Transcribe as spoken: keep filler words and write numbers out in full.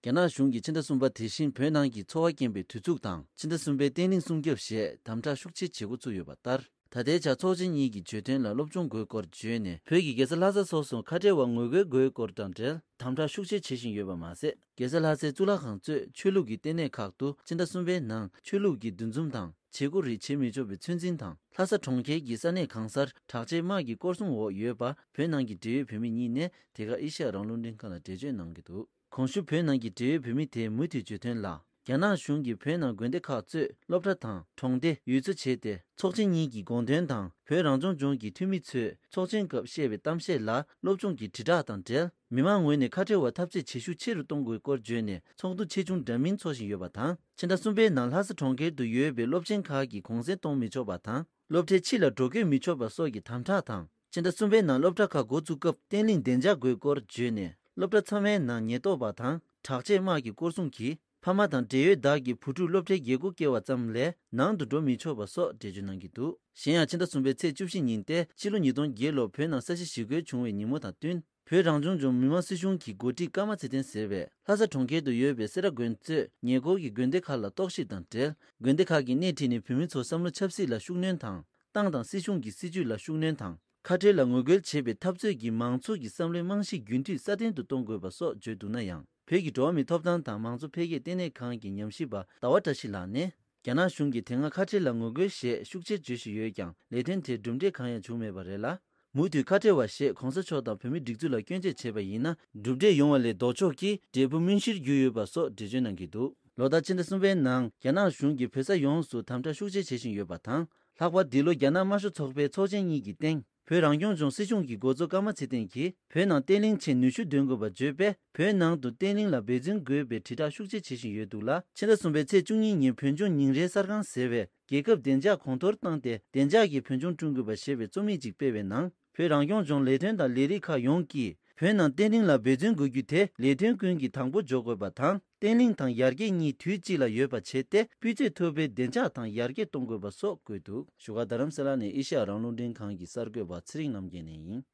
རྒྱ་ནག་གཞུང་གིས་ཕྱི་ཟླ་གསུམ་པ་དེ་བཞིན་བོད་ནང་གི་འཚོ་བ་སྐྱེལ་བའི་དུས་ཚིགས་དང་ཕྱི་ཟླ་གསུམ་པའི་བརྟན་ལྷིང་སྲུང་སྐྱོབ་ཞེས་དམ་དྲག་ཤུགས་ཆེ་བྱེད་འགོ་ཚུགས་ཡོད་པ་ལྟར། ད་ལྟའི་ཆར་ཚོགས་ཆེན་གཉིས་ཀྱི་བརྗོད་དོན་ལ་སློབ་སྦྱོང་དགོས་སྐོར་བརྗོད་ནས། བོད་ཀྱི་རྒྱལ་ས་ལྷ་ས་སོགས་སུ་ཁ་བྲལ་བ་ངོ་རྒོལ་དགོས་སྐོར་དང་འབྲེལ་དམ་དྲག་ཤུགས་ཆེ་བྱེད་བཞིན་ཡོད་པ་མ་ཟད། རྒྱལ་ས་ལྷ་སའི་གཙུག་ལག་ཁང་གཙོས་ཆོས་ལུགས་ཀྱི་ལྟེ་གནས་ཁག་ཏུ་ཕྱི་ཟླ་གསུམ་པའི་ནང་ཆོས་ལུགས་ཀྱི་འདུ་འཛོམས་དང་བྱེད་སྒོ་རིགས་བྱེད་མི་ཆོག་པའི་ཚོད་འཛིན་དང་། ལྷ་ས་གྲོང་ཁྱེར་གྱི་ས་གནས་གང་སར་དྲག་ཆས་དམག་གི་སྐོར་སྲུང་འོག་ཡོད་པ། བོད་ནང་གི་འབྲེལ་ཡོད་བོད་མི་གཉིས་ནས་དེ་ག་ཨེ་ཤ་ཡ་རང་དབང་རླུང་འཕྲིན་ཁང་ལ་འགྲེལ་བརྗོད་གནང་གི་འདུག་གོང་ཞུས་བོད་ནང་གི་འབྲེལ་ཡོད་བོད་མི་དེའི་མུ་མཐུད་བརྗོད་དོན་ལ། རྒྱ་ནག་གཞུང་གིས་བོད་ནང་དགོན་སྡེ་ཁག་གཙོས་སློབ་གྲྭ་དང་གྲོང་སྡེ་ཡུལ་ཚོ་བྱས་ཏེ། ཚོགས་ཆེན་གཉིས་ཀྱི་དགོངས་དོན་དང་བོད་རང་སྐྱོང་ལྗོངས་ཀྱི་འཐུས་མི་ཚོས་ཚོགས་ཆེན་སྐབས་བཤད་པའི་གཏམ་བཤད་ལ་སློབ་སྦྱོང་གི་དྲིལ་བསྒྲགས་དང་འབྲེལ། མི་མང་ངོས་ནས་ཁ་བྲལ་བ་འཐབ་རྩོད་བྱེད་ཤུགས་ཆེ་རུ་གཏོང་དགོས་སྐོར་བརྗོད་ནས་ཚོགས་འདུ་ཆེ་ཆུང་འདྲ་མིན་འཚོགས་བཞིན་ཡོད་པ་དང་། ཕྱི་ཟླ་གསུམ་པའི་ནང་ལྷ་ས་གྲོང་ཁྱེར་དུ་ཡོད་པའི་སློབ་ཆེན་ཁག་གི་གུང་སེང་གཏོང་མི་ཆོག་པ་དང་། སློབ་གྲྭའི་ཕྱི་ལ་འགྲོ་སྐྱོད་མི་ཆོག་པ་སོགས་ཀྱི་དམ་དྲག་དང་། ཕྱི་ཟླ་གསུམ་པའི་ནང་སློབ་གྲྭ་ཁག་འགོ་བཙུགས་སྐབས་བརྟན་ལྷིང་བདེ་འཇགས་དགོས་སྐོར་བརྗོད་ནས། སློབ་གྲྭ་ཚང་མའི་ནང་ཉེན་རྟོག་པ་དང་དྲག་ཆས་དམག་གི་སྐོར་སྲུང་གིས། ཕ་མ་དང་འབྲེལ་ཡོད་བདག་གི་བུ་ཕྲུག་སློབ་གྲྭའི་རྒྱལ་སྒོ་བསྐྱལ་བ་ཙམ་ལས་ནང་དུ་འགྲོ་མི་ཆོག་པ་སོགས་འགྲེལ་བརྗོད་གནང་གི་འདུག་གཞན་ཡང་ཕྱི་ཟླ་གསུམ་པའི་ཚེས་བཅུ་བཞི་ཉིན་ཏེ་ཕྱི་ལོ་ཉིས་སྟོང་བརྒྱད་ལོར་བོད་ནང་ས་གཞི་ཞི་རྒོལ་བྱུང་བའི་ཉིན་མོ་དང་བསྟུན། བོད་རང་སྐྱོང་ལྗོངས་མི་དམངས་སྲིད་གཞུང་གི་འགོ་ཁྲིད་ཀརྨ་ཚེ་བརྟན་ཟེར་བས་ལྷ་ས་གྲོང་ཁྱེར་དུ་ཡོད་པའི་སེ་ར་དགོན་གཙོས་ཉེ་འཁོར་གྱི་དགོན་སྡེ་ཁག་ལ་རྟོག་ཞིབ་དང་འབྲེལ། དགོན་སྡེ་ཁག་གི་སྣེ་ཁྲིད་ནས་བོད་མི་ཚོར་བསམ་བློ་ཆབ་སྲིད་ལ་ཤུགས་སྣོན་དང་། ཏང་དང་སྲིད་གཞུང་གི་སྲིད་ཇུས་ལ་ཤུགས་སྣོན་དང་། ཁ་བྲལ་ལ་ངོ་རྒོལ་བྱེད་པའི་འཐབ་རྩོད་ཀྱི་མང་ཚོགས་ཀྱི་བསམ་བློའི་རྨང་གཞི་རྒྱུན་མཐུད་སྲ་བརྟན་དུ་གཏོང་དགོས་པ་སོགས་བརྗོད་འདུག་ན་ཡང་། བོད་ཀྱི་འགྲོ་བ་མིའི་ཐོབ་ཐང་དང་མང་གཙོ་འཕེལ་རྒྱས་ལྟེ་གནས་ཁང་གི་ཉམས་ཞིབ་པ་ཟླ་བ་བཀྲ་ཤིས་ལགས་ནས། རྒྱ་ནག་གཞུང་གིས་དེ་སྔ་ཁ་བྲལ་ལ་ངོ་རྒོལ་ཞེས་ཤུགས་ཆེར་བརྗོད་བཞིན་ཡོད་ཀྱང་ལས་དོན་དེར་གྲུབ་འབྲས་གང་ཡང་བྱུང་མེད་པ་རེད་ལ། མུ་མཐུད་ཁ་བྲལ་བ་ཞེས་གོང་ས་མཆོག་དང་བོད་མིའི་སྒྲིག་འཛུགས་ལ་སྐྱོན་བརྗོད་བྱས་པ་ཡིན་ན། གྲུབ་འབྲས་ཡོང་བ་ལས་ལྡོག་ཕྱོགས་ཀྱི་འབྲས་བུ་སྨིན་གཞིར་གྱུར་ཡོད་པ་སོགས་འགྲེལ་བརྗོད་གནང་གི་འདུག་ལོ་ལྟར་ཕྱི་ཟླ་གསུམ་པའི་ནང་རྒྱ་ནག་གཞུང་གིས་བོད་ས་ཡོངས་སུ་དམ་དྲག་ཤུགས་ཆེ་བྱེད་བཞིན་ཡོད་པ་དང་། ལྷག་པར་འདི་ལོ་རྒྱ་ནག་དམར་ཤོག་ཚོགས་པའི་ཚོགས་ཆེན་གཉིས་ཀྱི་སྟེང་། བོད་རང་སྐྱོང་ལྗོངས་སྲིད་གཞུང་གི་འགོ་གཙོ་ཀརྨ་ཚེ་བརྟན་གྱིས། བོད་ནང་བརྟན་ལྷིང་ཆེད་ནུས་ཤུགས་འདོན་དགོས་པ་བརྗོད་པས། བོད་ནང་དུ་བརྟན་ལྷིང་ལ་འབད་བརྩོན་དགོས་པའི་དྲིལ་བསྒྲགས་ཤུགས་ཆེ་བྱེད་བཞིན་ཡོད་འདུག་ལ། ཕྱི་ཟླ་གསུམ་པའི་ཚེས་བཅུ་གཉིས་ཉིན་བོད་ལྗོངས་ཉིན་རེའི་གསར་ཁང་ཟེར་བས། རྒྱལ་ཁབ་བདེ་འཇགས་གོང་མཐོར་བཏང་སྟེ། བདེ་འཇགས་ཀྱི་བོད་ལྗོངས་བསྐྲུན་དགོས་པ་ཞེས་པའི་རྩོམ་ཡིག་ཅིག་སྤེལ་བའི་ནང་། བོད་རང་སྐྱོང་ལྗོངས་ལས་དོན་དང་ལས་རིགས་ཁག་ཡོངས་ཀྱིས། བོད་ནང་བརྟན་ལྷིང་ལ་འབད་བརྩོན་དགོས་རྒྱུ་དེ་ལས་དོན་ཀུན་གྱི་དང་པོ་འཇོག་དགོས་པ་དང་། བརྟན་ལྷིང་དང་ཡར་རྒྱས་གཉིས་དུས་གཅིག་ལ་ཡོད་པ་བྱས་ཏེ། སྤུས་ཚད་མཐོ་པོའི་བདེ་འཇགས་དང་ཡར་རྒྱས་གཏོང་དགོས་པ་སོགས་བཀོད་འདུག་བཞུགས་སྒར་རྡ་རམ་ས་ལ་ནས་ཨེ་ཤ་ཡ་རང་དབང་རླུང་འཕྲིན་ཁང་གི་གསར་འགོད་པ་ཚེ་རིང་རྣམ་རྒྱལ་ནས་ཡིན།